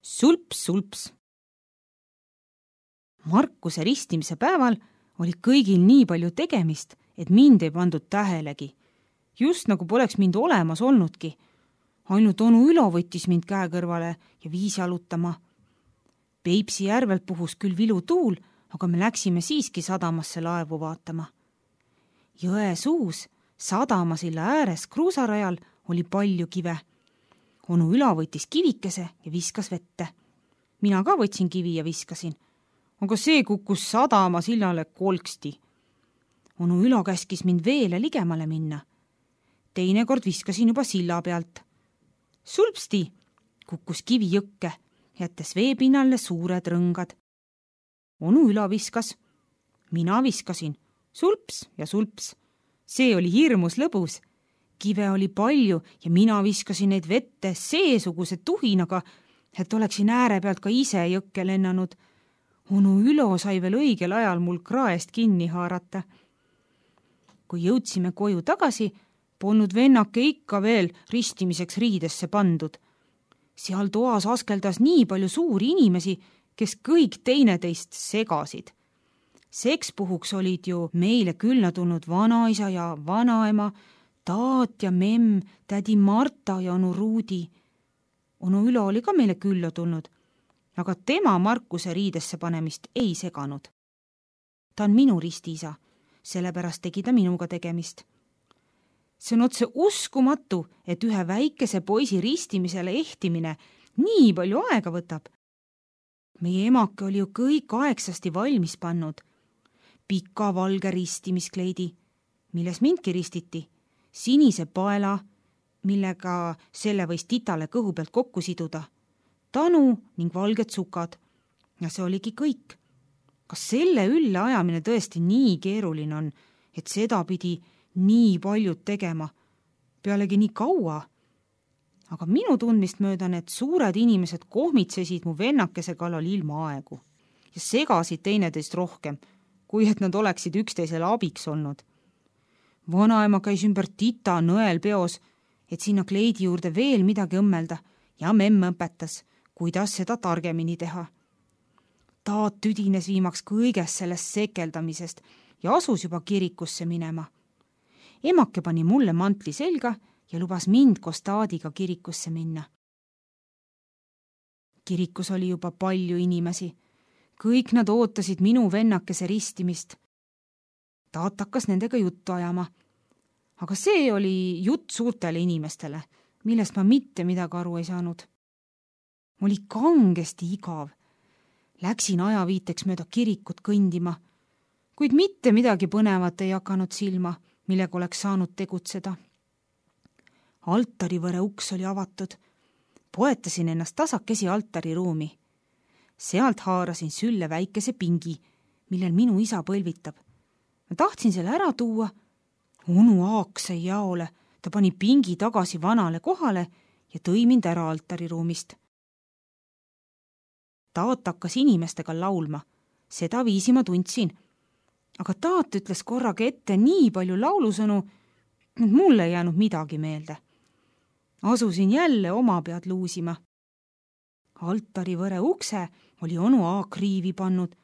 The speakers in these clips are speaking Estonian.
Sulps-sulps. Markuse ristimise päeval oli kõigil nii palju tegemist, et mind ei pandud tähelegi. Just nagu poleks mind olemas olnudki. Ainult onu Ülo võttis mind käe kõrvale ja viis jalutama. Peipsi järvelt puhus küll vilutuul, aga me läksime siiski sadamasse laevu vaatama. Jõe suus, sadamasilla ääres kruusarajal oli palju kive. Onu Ülo võttis kivikese ja viskas vette. Mina ka võtsin kivi ja viskasin, aga see kukkus sadamasillale kolksti. Onu Ülo käskis mind veele ligemale minna. Teine kord viskasin juba silla pealt. Sulpsti kukkus kivi jõkke, jättes veepinnalle suured rõngad. Onu Ülo viskas, mina viskasin, sulps ja sulps. See oli hirmus lõbus. Kive oli palju ja mina viskasin neid vette seesuguse tuhinaga, et oleksin ääre pealt ka ise jõkke lennanud. Onu Ülo sai veel õigel ajal mul kraest kinni haarata. Kui jõudsime koju tagasi, polnud vennake ikka veel ristimiseks riidesse pandud. Seal toas askeldas nii palju suuri inimesi, kes kõik teineteist segasid. Sekspuhuks olid ju meile külla tulnud vanaisa ja vanaema, taat ja memm, tädi Marta ja onu Ruudi. Onu Ülo oli ka meile külla tulnud, aga tema Markuse riidesse panemist ei seganud. Ta on minu ristiisa, sellepärast tegi ta minuga tegemist. See on otse uskumatu, et ühe väikese poisi ristimisele ehtimine nii palju aega võtab. Meie emake oli ju kõik aegsasti valmis pannud. Pika valge ristimiskleidi, milles mindki ristiti, sinise paela, millega selle võis titale kõhu pealt kokku siduda, tanu ning valged sukad. Ja see oligi kõik. Kas selle ülle ajamine tõesti nii keeruline on, et seda pidi nii paljud tegema, pealegi nii kaua? Aga minu tundmist mööda need suured inimesed kohmitsesid mu vennakese kallal ilma aegu ja segasid teineteist rohkem, kui et nad oleksid üksteisele abiks olnud. Vanaema käis ümber tita nõel peos, et sinna kleidi juurde veel midagi õmmelda ja memm õpetas, kuidas seda targemini teha. Taat tüdines viimaks kõigest sellest sekeldamisest ja asus juba kirikusse minema. Emake pani mulle mantli selga ja lubas mind koos taadiga kirikusse minna. Kirikus oli juba palju inimesi. Kõik nad ootasid minu vennakese ristimist. Taat hakkas nendega juttu ajama. Aga see oli jutt suurtele inimestele, millest ma mitte midagi aru ei saanud. Oli kangesti igav. Läksin ajaviiteks mööda kirikut kõndima, kuid mitte midagi põnevat ei hakanud silma, millega oleks saanud tegutseda. Altarivõre uks oli avatud. Poetasin ennast tasakesi altariruumi. Sealt haarasin sülle väikese pingi, millel minu isa põlvitab. Ma tahtsin selle ära tuua. Onu Aak sai jaole, ta pani pingi tagasi vanale kohale ja tõi mind ära altariruumist. Taat hakkas inimestega laulma. Seda viisi ma tundsin. Aga taat ütles korraga ette nii palju laulusõnu, et mulle ei jäänud midagi meelde. Asusin jälle oma pead luusima. Altarivõre ukse oli onu Aak riivi pannud,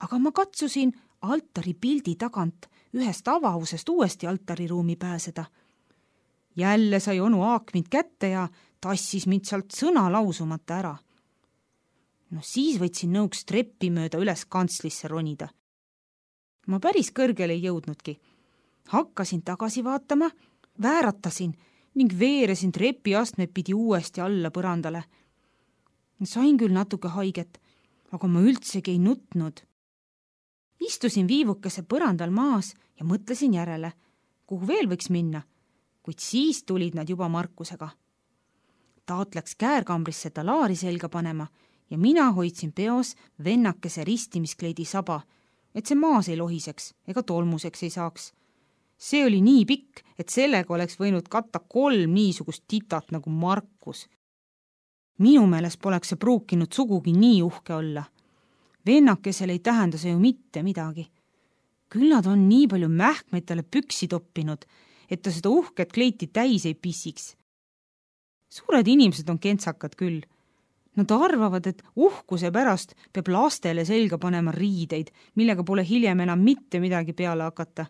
aga ma katsusin altari pildi tagant ühest avavusest uuesti altariruumi pääseda. Jälle sai onu Aak mind kätte ja tassis mind sealt sõna lausumata ära. No siis võtsin nõuks treppi mööda üles kantslisse ronida. Ma päris kõrgele ei jõudnudki. Hakkasin tagasi vaatama, vääratasin ning veeresin trepi astmed pidi uuesti alla põrandale. Sain küll natuke haiget, aga ma üldsegi ei nutnud. Istusin viivukese põrandal maas ja mõtlesin järele, kuhu veel võiks minna, kuid siis tulid nad juba Markusega. Taat läks käärkambrisse talaari selga panema ja mina hoidsin peos vennakese ristimiskleidi saba, et see maas ei lohiseks ega tolmuseks ei saaks. See oli nii pikk, et sellega oleks võinud katta 3 niisugust titat nagu Markus. Minu meelest poleks see pruukinud sugugi nii uhke olla. Vennakesel ei tähenda see ju mitte midagi. Küll nad on nii palju mähkmeid talle püksi toppinud, et ta seda uhket kleiti täis ei pissiks. Suured inimesed on kentsakad küll. Nad arvavad, et uhkuse pärast peab lastele selga panema riideid, millega pole hiljem enam mitte midagi peale hakata.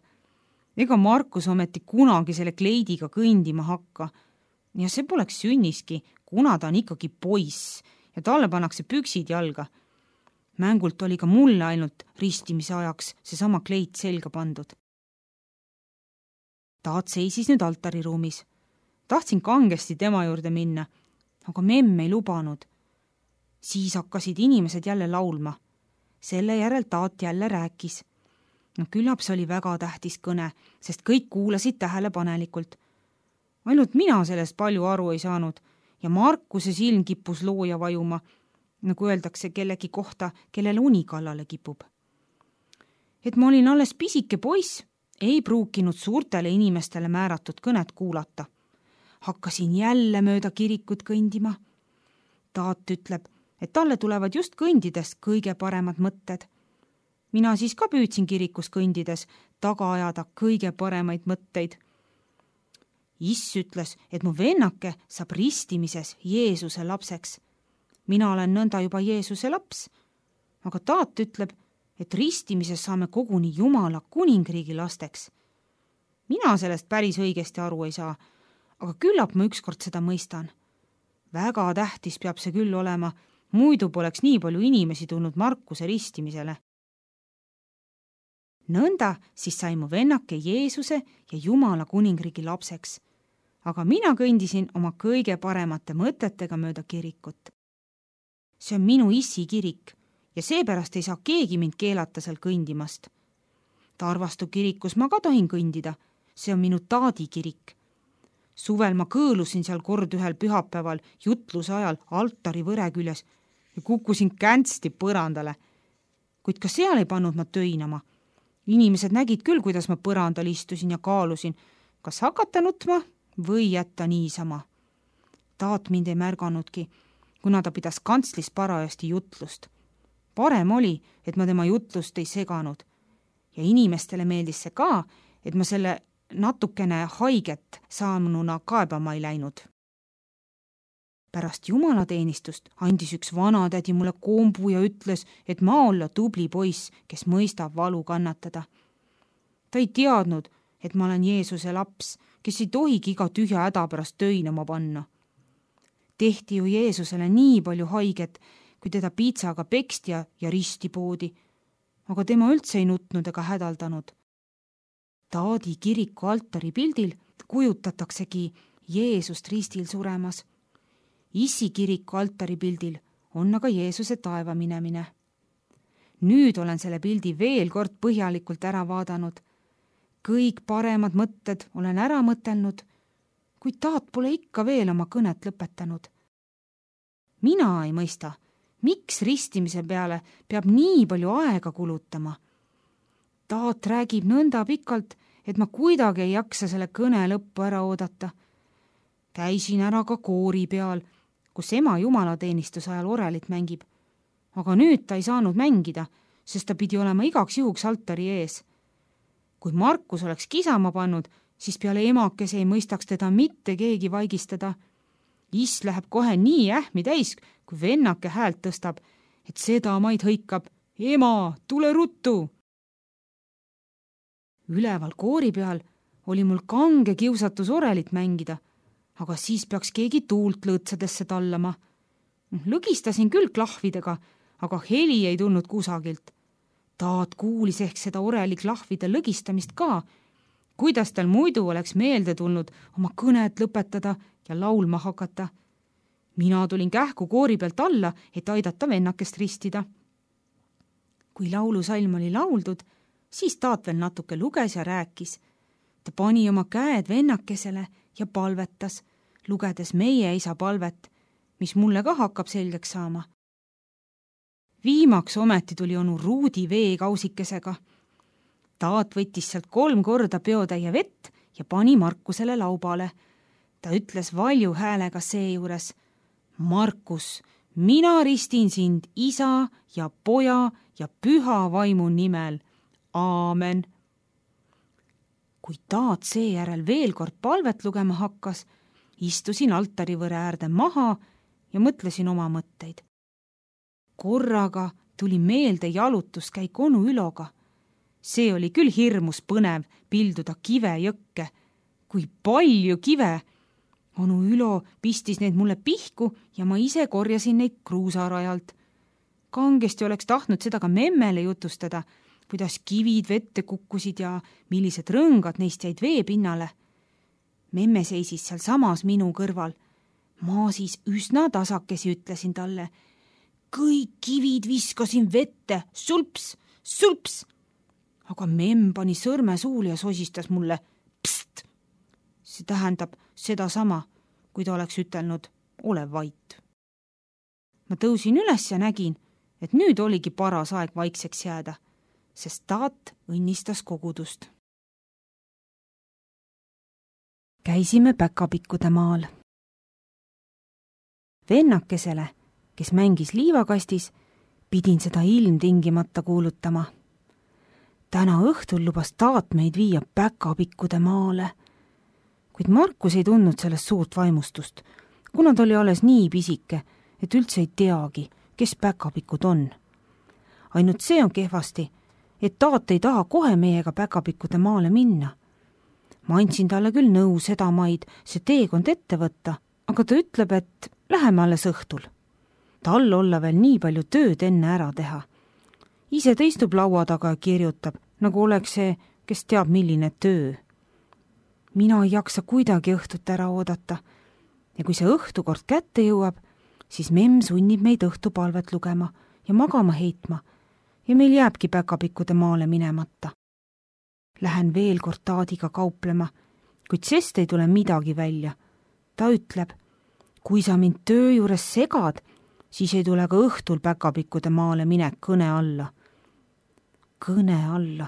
Ega Markus ometi kunagi selle kleidiga kõndima hakka. Ja see poleks sünniski, kuna ta on ikkagi poiss ja talle pannakse püksid jalga. Mängult oli ka mulle ainult ristimise ajaks seesama kleit selga pandud. Taat seisis nüüd altariruumis. Tahtsin kangesti tema juurde minna, aga memm ei lubanud. Siis hakkasid inimesed jälle laulma. Selle järel Taat jälle rääkis. Küllap see oli väga tähtis kõne, sest kõik kuulasid tähelepanelikult. Ainult mina sellest palju aru ei saanud ja Markuse silm kippus looja vajuma, nagu öeldakse kellegi kohta, kellele uni kallale kipub. Et ma olin alles pisike poiss, ei pruukinud suurtele inimestele määratud kõnet kuulata. Hakkasin jälle mööda kirikut kõndima. Taat ütleb, et talle tulevad just kõndides kõige paremad mõtted. Mina siis ka püüdsin kirikus kõndides taga ajada kõige paremaid mõtteid. Iss ütles, et mu vennake saab ristimises Jeesuse lapseks. Mina olen nõnda juba Jeesuse laps, aga Taat ütleb, et ristimises saame koguni Jumala kuningriigi lasteks. Mina sellest päris õigesti aru ei saa, aga küllap ma ükskord seda mõistan. Väga tähtis peab see küll olema, muidu poleks nii palju inimesi tulnud Markuse ristimisele. Nõnda siis sai mu vennake Jeesuse ja Jumala kuningriigi lapseks, aga mina kõndisin oma kõige paremate mõtetega mööda kirikut. See on minu issi kirik ja seepärast ei saa keegi mind keelata seal kõndimast. Tarvastu kirikus ma ka tohin kõndida, see on minu Taadi kirik. Suvel ma kõõlusin seal kord ühel pühapäeval jutluse ajal altari võre küljes ja kukkusin känsti põrandale. Kuid ka seal ei pannud ma töinama. Inimesed nägid küll, kuidas ma põrandal istusin ja kaalusin, kas hakata nutma või jätta niisama. Taat mind ei märganudki, kuna ta pidas kantslis parajasti jutlust. Parem oli, et ma tema jutlust ei seganud. Ja inimestele meeldis see ka, et ma selle natukene haiget saanuna kaebama ei läinud. Pärast jumalateenistust andis üks vanatädi mulle kombu ja ütles, et ma olla tubli poiss, kes mõistab valu kannatada. Ta ei teadnud, et ma olen Jeesuse laps, kes ei tohigi iga tühja häda pärast töinama panna. Tehti ju Jeesusele nii palju haiget, kui teda piitsaga peksti ja risti poodi, aga tema üldse ei nutnud ega hädaldanud. Taadi kiriku altari pildil kujutataksegi Jeesust ristil suremas. Issi kiriku altari pildil on aga Jeesuse taeva minemine. Nüüd olen selle pildi veel kord põhjalikult ära vaadanud. Kõik paremad mõtted olen ära mõtelnud, kuid Taat pole ikka veel oma kõnet lõpetanud. Mina ei mõista, miks ristimise peale peab nii palju aega kulutama. Taat räägib nõnda pikalt, et ma kuidagi ei jaksa selle kõne lõppu ära oodata. Käisin ära ka koori peal, kus ema jumalateenistuse ajal orelit mängib. Aga nüüd ta ei saanud mängida, sest ta pidi olema igaks juhuks altari ees. Kui Markus oleks kisama pannud, siis peale emakese ei mõistaks teda mitte keegi vaigistada. Iss läheb kohe nii ähmi täis, kui vennake häält tõstab, et seda maid hõikab. Ema, tule ruttu! Üleval koori peal oli mul kange kiusatus orelit mängida, aga siis peaks keegi tuult lõõtsadesse tallama. Lõgistasin küll klahvidega, aga heli ei tulnud kusagilt. Taat kuulis ehk seda oreli klahvide lõgistamist ka, kuidas tal muidu oleks meelde tulnud oma kõnet lõpetada ja laulma hakata. Mina tulin kähku koori pealt alla, et aidata vennakest ristida. Kui laulusalm oli lauldud, siis Taat veel natuke luges ja rääkis. Ta pani oma käed vennakesele ja palvetas, lugedes meie isa palvet, mis mulle ka hakkab selgeks saama. Viimaks ometi tuli onu Ruudi veekausikesega. Taat võttis sealt 3 korda peotäie vett ja pani Markusele laubale. Ta ütles valju häälega seejuures: Markus, mina ristin sind isa ja poja ja püha vaimu nimel. Aamen. Kui Taat seejärel veel kord palvet lugema hakkas, istusin altarivõre äärde maha ja mõtlesin oma mõtteid. Korraga tuli meelde jalutuskäik onu Üloga. See oli küll hirmus põnev pilduda kive jõkke. Kui palju kive! Onu Ülo pistis neid mulle pihku ja ma ise korjasin neid kruusarajalt. Kangesti oleks tahtnud seda ka memmele jutustada, kuidas kivid vette kukkusid ja millised rõngad neist jäid veepinnale. Memme seisis seal samas minu kõrval. Ma siis üsna tasakesi ütlesin talle: kõik kivid viskasin vette, sulps, sulps. Aga memm pani sõrme suule ja sosistas mulle: pst! See tähendab sedasama, kui ta oleks ütelnud: ole vait. Ma tõusin üles ja nägin, et nüüd oligi paras aeg vaikseks jääda, sest taat õnnistas kogudust. Käisime Päkapikkude maal. Vennakesele, kes mängis liivakastis, pidin seda ilmtingimata kuulutama. Täna õhtul lubas taat meid viia Päkapikkude maale, kuid Markus ei tundnud sellest suurt vaimustust, kuna ta oli alles nii pisike, et üldse ei teagi, kes Päkapikud on. Ainult see on kehvasti, et taat ei taha kohe meiega Päkapikkude maale minna. Ma andsin talle küll nõu sedamaid see teekond ette võtta, aga ta ütleb, et läheme alles õhtul. Tal olla veel nii palju tööd enne ära teha. Ise ta istub laua taga ja kirjutab, nagu oleks see, kes teab milline töö. Mina ei jaksa kuidagi õhtut ära oodata ja kui see õhtukord kätte jõuab, siis memm sunnib meid õhtupalvet lugema ja magama heitma ja meil jääbki Päkapikkude maale minemata. Lähen veel kord taadiga kauplema, kuid sest ei tule midagi välja. Ta ütleb, kui sa mind töö juures segad, siis ei tule ka õhtul Päkapikkude maale minek kõne alla. Kõne alla,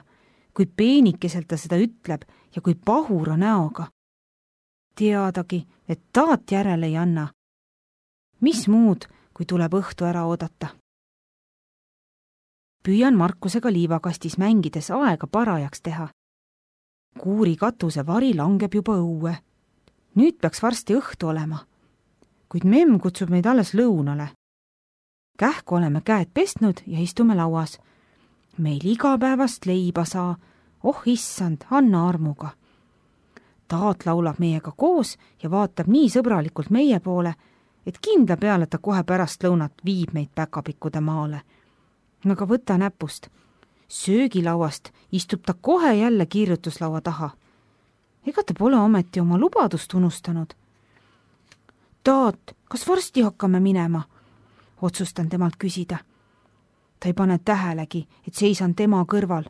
kui peenikeselt ta seda ütleb ja kui pahura näoga. Teadagi, et taat järele ei anna. Mis muud, kui tuleb õhtu ära oodata? Püüan Markusega liivakastis mängides aega parajaks teha. Kuuri katuse vari langeb juba õue. Nüüd peaks varsti õhtu olema. Kuid memm kutsub meid alles lõunale. Kähku oleme käed pestnud ja istume lauas. Meil igapäevast leiba saa, oh issand, anna armuga. Taat laulab meiega koos ja vaatab nii sõbralikult meie poole, et kindla peale ta kohe pärast lõunat viib meid Päkapikkude maale. Aga võta näpust. Söögilauast istub ta kohe jälle kirjutuslaua taha. Ega ta pole ometi oma lubadust unustanud. Taat, kas varsti hakkame minema? Otsustan temalt küsida. Ta ei pane tähelegi, et seisan tema kõrval.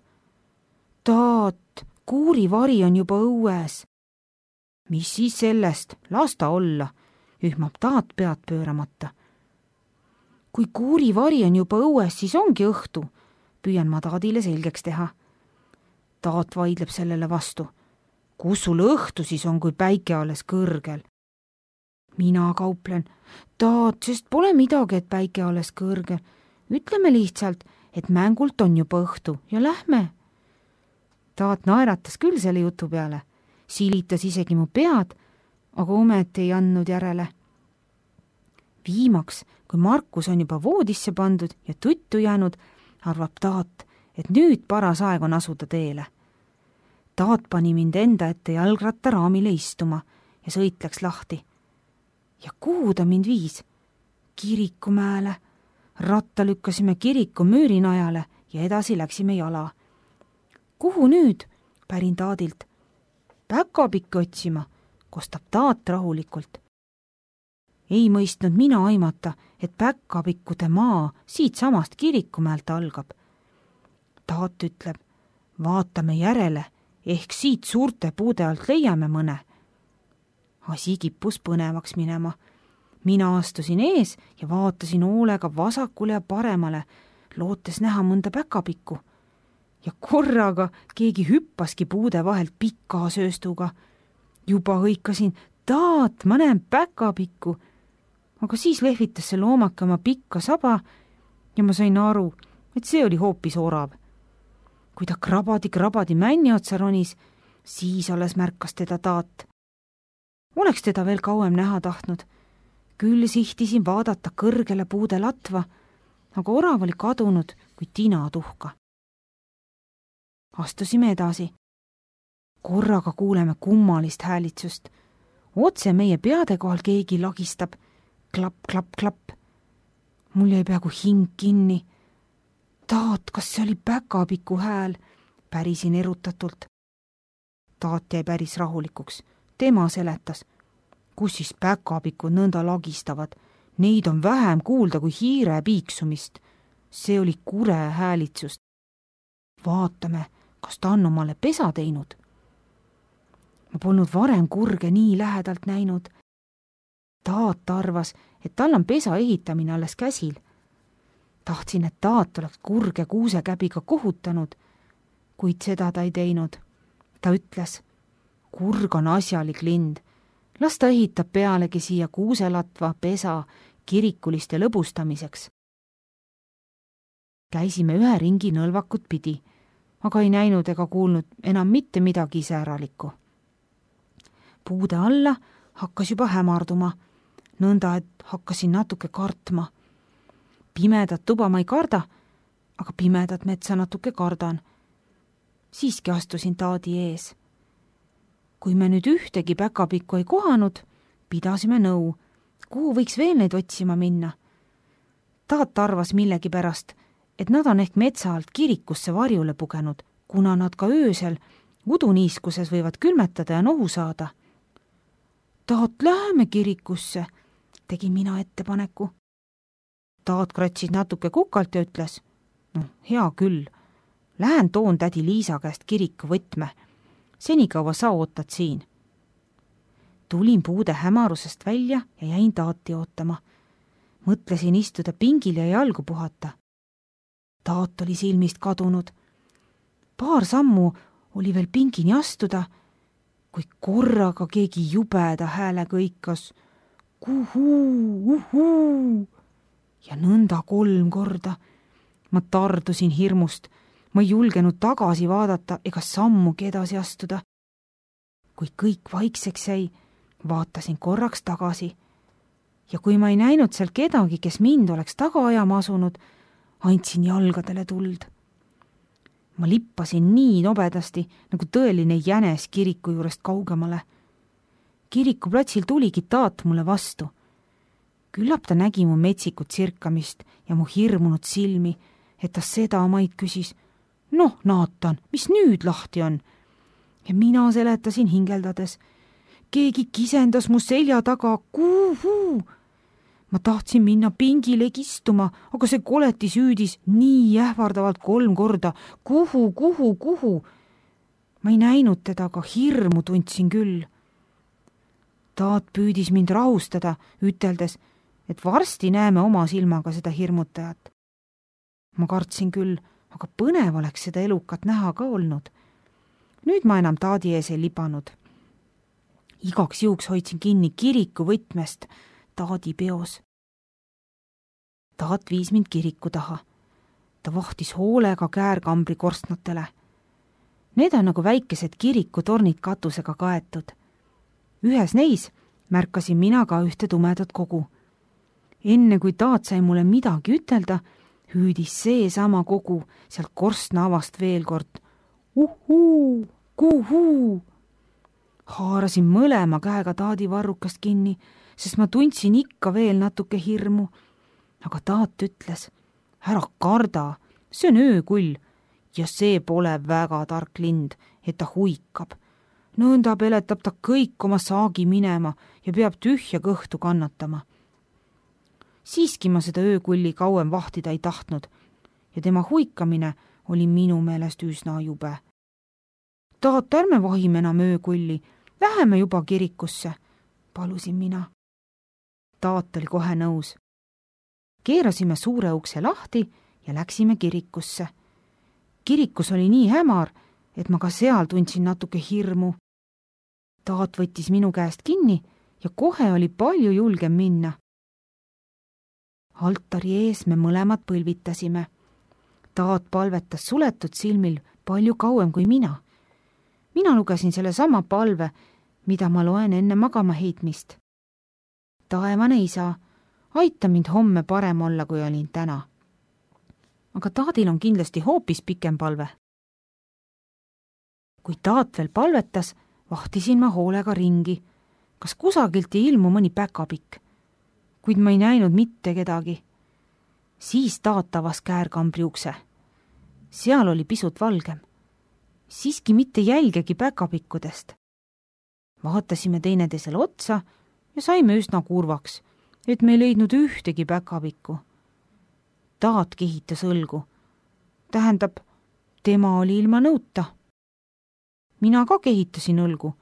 Taat, kuurivari on juba õues. Mis siis sellest? Las ta olla, ühmab taat pead pööramata. Kui kuurivari on juba õues, siis ongi õhtu. Püüan ma taadile selgeks teha. Taat vaidleb sellele vastu. Kus sul õhtu siis on, kui päike alles kõrgel? Mina kauplen. Taat, sest pole midagi, et päike alles kõrgel. Ütleme lihtsalt, et mängult on juba õhtu ja lähme. Taat naeratas küll selle jutu peale. Silitas isegi mu pead, aga ometi ei andnud järele. Viimaks, kui Markus on juba voodisse pandud ja tuttu jäänud, arvab taat, et nüüd paras aeg on asuda teele. Taat pani mind enda ette jalgrattaraamile istuma ja sõit läks lahti. Ja kuhu ta mind viis? Kirikumäele. Ratta lükkasime kiriku müürinajale ja edasi läksime jala. Kuhu nüüd? Pärin taadilt. Päkapikki otsima, kostab taat rahulikult. Ei mõistnud mina aimata, et Päkapikkude maa siit samast kirikumäelt algab. Taat ütleb, vaatame järele, ehk siit suurte puude alt leiame mõne. Asi kippus põnevaks minema. Mina astusin ees ja vaatasin hoolega vasakule ja paremale, lootes näha mõnda päkapikku. Ja korraga keegi hüppaski puude vahelt pika sööstuga. Juba hõikasin, taat, ma näen päkapikku. Aga siis lehvitas see loomake oma pikka saba ja ma sain aru, et see oli hoopis orav. Kui ta krabadi männi otsa ronis, siis alles märkas teda taat. Oleks teda veel kauem näha tahtnud. Küll sihtisin vaadata kõrgele puude latva, aga orav oli kadunud kui tina tuhka. Astusime edasi. Korraga kuuleme kummalist häälitsust. Otse meie peade kohal keegi lagistab. Klapp, klapp, klapp. Mul jäi peaaegu hing kinni. Taat, kas see oli Päkapiku hääl? Pärisin erutatult. Taat jäi päris rahulikuks. Tema seletas. Kus siis Päkapikud nõnda lagistavad? Neid on vähem kuulda kui hiire piiksumist. See oli kure häälitsust. Vaatame, kas ta on omale pesa teinud. Ma polnud varem kurge nii lähedalt näinud. Taat arvas, et tal on pesa ehitamine alles käsil. Tahtsin, et Taat oleks kurge kuusekäbiga kohutanud, kuid seda ta ei teinud. Ta ütles, kurg on asjalik lind. Las ta ehitab pealegi siia kuuselatva pesa kirikuliste lõbustamiseks. Käisime ühe ringi nõlvakut pidi, aga ei näinud ega kuulnud enam mitte midagi iseäralikku. Puude alla hakkas juba hämarduma, nõnda et hakkasin natuke kartma. Pimedat tuba ma ei karda, aga pimedat metsa natuke kardan. Siiski astusin Taadi ees. Kui me nüüd ühtegi Päkapikku ei kohanud, pidasime nõu, kuhu võiks veel neid otsima minna. Taat arvas millegipärast, et nad on ehk metsa alt kirikusse varjule pugenud, kuna nad ka öösel uduniiskuses võivad külmetada ja nohu saada. Taat, läheme kirikusse, tegi mina ettepaneku. Taat kratsis natuke kukalt ja ütles, hea küll, lähen toon tädi Liisa käest kiriku võtme. Senikaua sa ootad siin. Tulin puude hämarusest välja ja jäin Taati ootama. Mõtlesin istuda pingil ja jalgu puhata. Taat oli silmist kadunud. Paar sammu oli veel pingini astuda, kui korraga keegi jubeda häälega hõikas. Kuhuu, uhuu! Ja nõnda 3 korda. Ma tardusin hirmust. Ma ei julgenud tagasi vaadata ega sammugi edasi astuda. Kui kõik vaikseks jäi, vaatasin korraks tagasi. Ja kui ma ei näinud seal kedagi, kes mind oleks taga ajama asunud, andsin jalgadele tuld. Ma lippasin nii nobedasti, nagu tõeline jänes kiriku juurest kaugemale. Kirikuplatsil tuligi Taat mulle vastu. Küllap ta nägi mu metsikut sirkamist ja mu hirmunud silmi, et ta seda maid küsis. Naatan, mis nüüd lahti on? Ja mina seletasin hingeldades. Keegi kisendas mu selja taga, kuhu? Ma tahtsin minna pingilegi istuma, aga see koletis hüüdis nii ähvardavalt 3 korda. Kuhu? Ma ei näinud teda, aga hirmu tundsin küll. Taat püüdis mind rahustada, üteldes, et varsti näeme oma silmaga seda hirmutajat. Ma kartsin küll, aga põnev oleks seda elukat näha ka olnud. Nüüd ma enam Taadi ees ei libanud. Igaks juhuks hoidsin kinni kiriku võtmest Taadi peos. Taat viis mind kiriku taha. Ta vahtis hoolega käärkambri korstnatele. Need on nagu väikesed kirikutornid katusega kaetud. Ühes neis märkasin mina ka ühte tumedat kogu. Enne kui Taat sai mulle midagi ütelda, hüüdis seesama kogu sealt korstna avast veel kord. Uhuu, kuhuu! Haarasin mõlema käega Taadi varrukast kinni, sest ma tundsin ikka veel natuke hirmu. Aga Taat ütles, ära karda, see on öökull ja see pole väga tark lind, et ta huikab. Nõnda peletab ta kõik oma saagi minema ja peab tühja kõhtu kannatama. Siiski ma seda öökulli kauem vahtida ei tahtnud ja tema huikamine oli minu meelest üsna jube. Taat, ärme vahime enam öökulli, läheme juba kirikusse, palusin mina. Taat oli kohe nõus. Keerasime suure ukse lahti ja läksime kirikusse. Kirikus oli nii hämar, et ma ka seal tundsin natuke hirmu. Taat võttis minu käest kinni ja kohe oli palju julgem minna. Altari ees me mõlemad põlvitasime. Taat palvetas suletud silmil palju kauem kui mina. Mina lugesin selle sama palve, mida ma loen enne magama heitmist. taevane isa, aita mind homme parem olla, kui olin täna. Aga taadil on kindlasti hoopis pikem palve. Kui taat veel palvetas, vahtisin ma hoolega ringi, kas kusagilt ei ilmu mõni päkapikk, kuid ma ei näinud mitte kedagi. Siis taat avas käärkambri ukse. Seal oli pisut valgem. Siiski mitte jälgegi päkapikkudest. Vaatasime teineteisele otsa ja saime üsna kurvaks, et me ei leidnud ühtegi päkapikku. Taat kehitas õlgu. Tähendab, tema oli ilma nõuta. Mina ka kehitasin õlgu,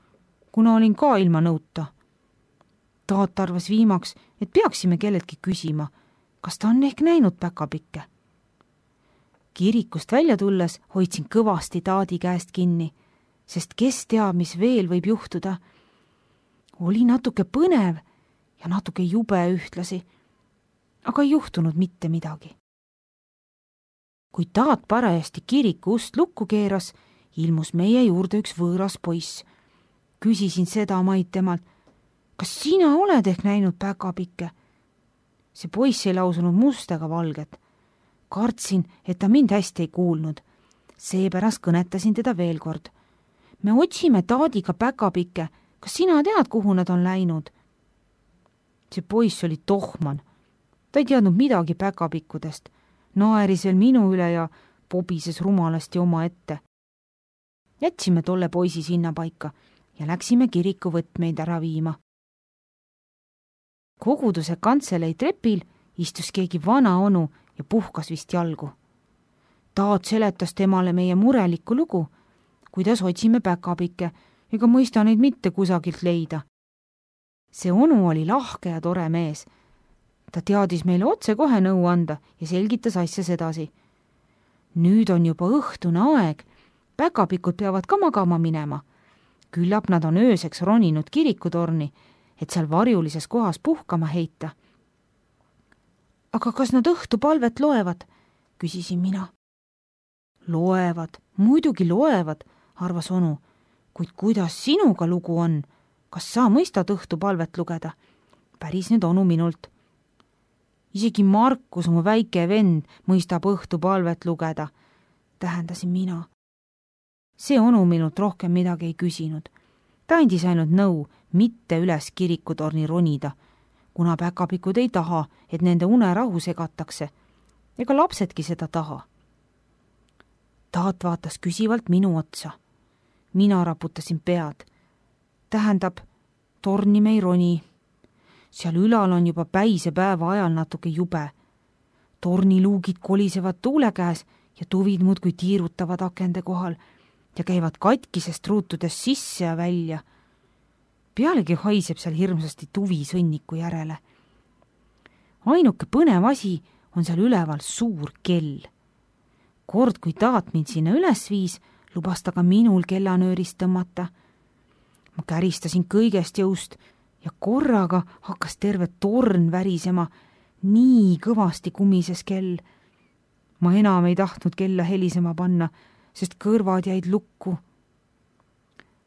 kuna olin ka ilma nõuta. Taat arvas viimaks, et peaksime kelleltki küsima, kas ta on ehk näinud päkapikke. Kirikust välja tulles hoidsin kõvasti taadi käest kinni, sest kes teab, mis veel võib juhtuda. Oli natuke põnev ja natuke jube ühtlasi, aga ei juhtunud mitte midagi. Kui taat parajasti kiriku ust lukku keeras, ilmus meie juurde üks võõras poiss. Küsisin seda maid temalt, kas sina oled ehk näinud päkapikke? See poiss ei lausunud must ega valget. Kartsin, et ta mind hästi ei kuulnud. Seepärast kõnetasin teda veel kord. Me otsime taadiga päkapikke. Kas sina tead, kuhu nad on läinud? See poiss oli tohman. Ta ei teadnud midagi päkapikkudest. Naeris veel minu üle ja pobises rumalasti oma ette. Jätsime tolle poisi sinna paika ja läksime kiriku võtmeid ära viima. Koguduse kantselei trepil istus keegi vana onu ja puhkas vist jalgu. Taat seletas temale meie murelikku lugu, kuidas otsime päkapikke ega mõista neid mitte kusagilt leida. See onu oli lahke ja tore mees. Ta teadis meile otse kohe nõu anda ja selgitas asja sedasi. Nüüd on juba õhtune aeg, päkapikud peavad ka magama minema. Küllap nad on ööseks roninud kirikutorni, et seal varjulises kohas puhkama heita. Aga kas nad õhtupalvet loevad? Küsisin mina. Loevad, muidugi loevad, arvas onu, kuid kuidas sinuga lugu on? Kas sa mõistad õhtupalvet lugeda? Päris nüüd onu minult. Isegi Markus, mu väike vend, mõistab õhtupalvet lugeda, tähendasin mina. See onu minult rohkem midagi ei küsinud. Ta andis ainult nõu mitte üles kirikutorni ronida, kuna päkapikud ei taha, et nende unerahu segatakse, ega lapsedki seda taha. Taat vaatas küsivalt minu otsa. Mina raputasin pead. Tähendab, torni me ei roni. Seal ülal on juba päise päeva ajal natuke jube. Torniluugid kolisevad tuule käes ja tuvid muudkui tiirutavad akende kohal ja käivad katkisest ruutudest sisse ja välja. Pealegi haiseb seal hirmsasti tuvi sõnniku järele. Ainuke põnev asi on seal üleval suur kell. Kord, kui taat mind sinna üles viis, lubas ta ka minul kellanöörist tõmmata. Ma käristasin kõigest jõust ja korraga hakkas terve torn värisema, nii kõvasti kumises kell. Ma enam ei tahtnud kella helisema panna, sest kõrvad jäid lukku.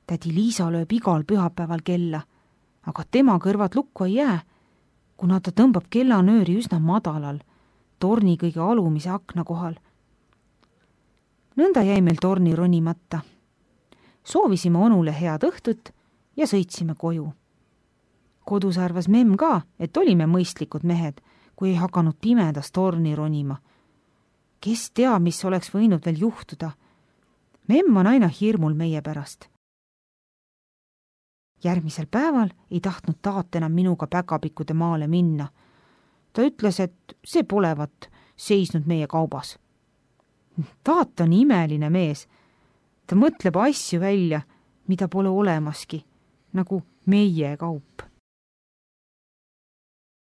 Tädi Liisa lööb igal pühapäeval kella, aga tema kõrvad lukku ei jää, kuna ta tõmbab kellanööri üsna madalal, torni kõige alumise akna kohal. Nõnda jäi meil torni ronimata. Soovisime onule head õhtut ja sõitsime koju. Kodus arvas memm ka, et olime mõistlikud mehed, kui ei hakanud pimedas torni ronima. Kes teab, mis oleks võinud veel juhtuda? Memm on aina hirmul meie pärast. Järgmisel päeval ei tahtnud taat enam minuga päkapikkude maale minna. Ta ütles, et see polevat seisnud meie kaubas. Taat on imeline mees. Ta mõtleb asju välja, mida pole olemaski, nagu meie kaup.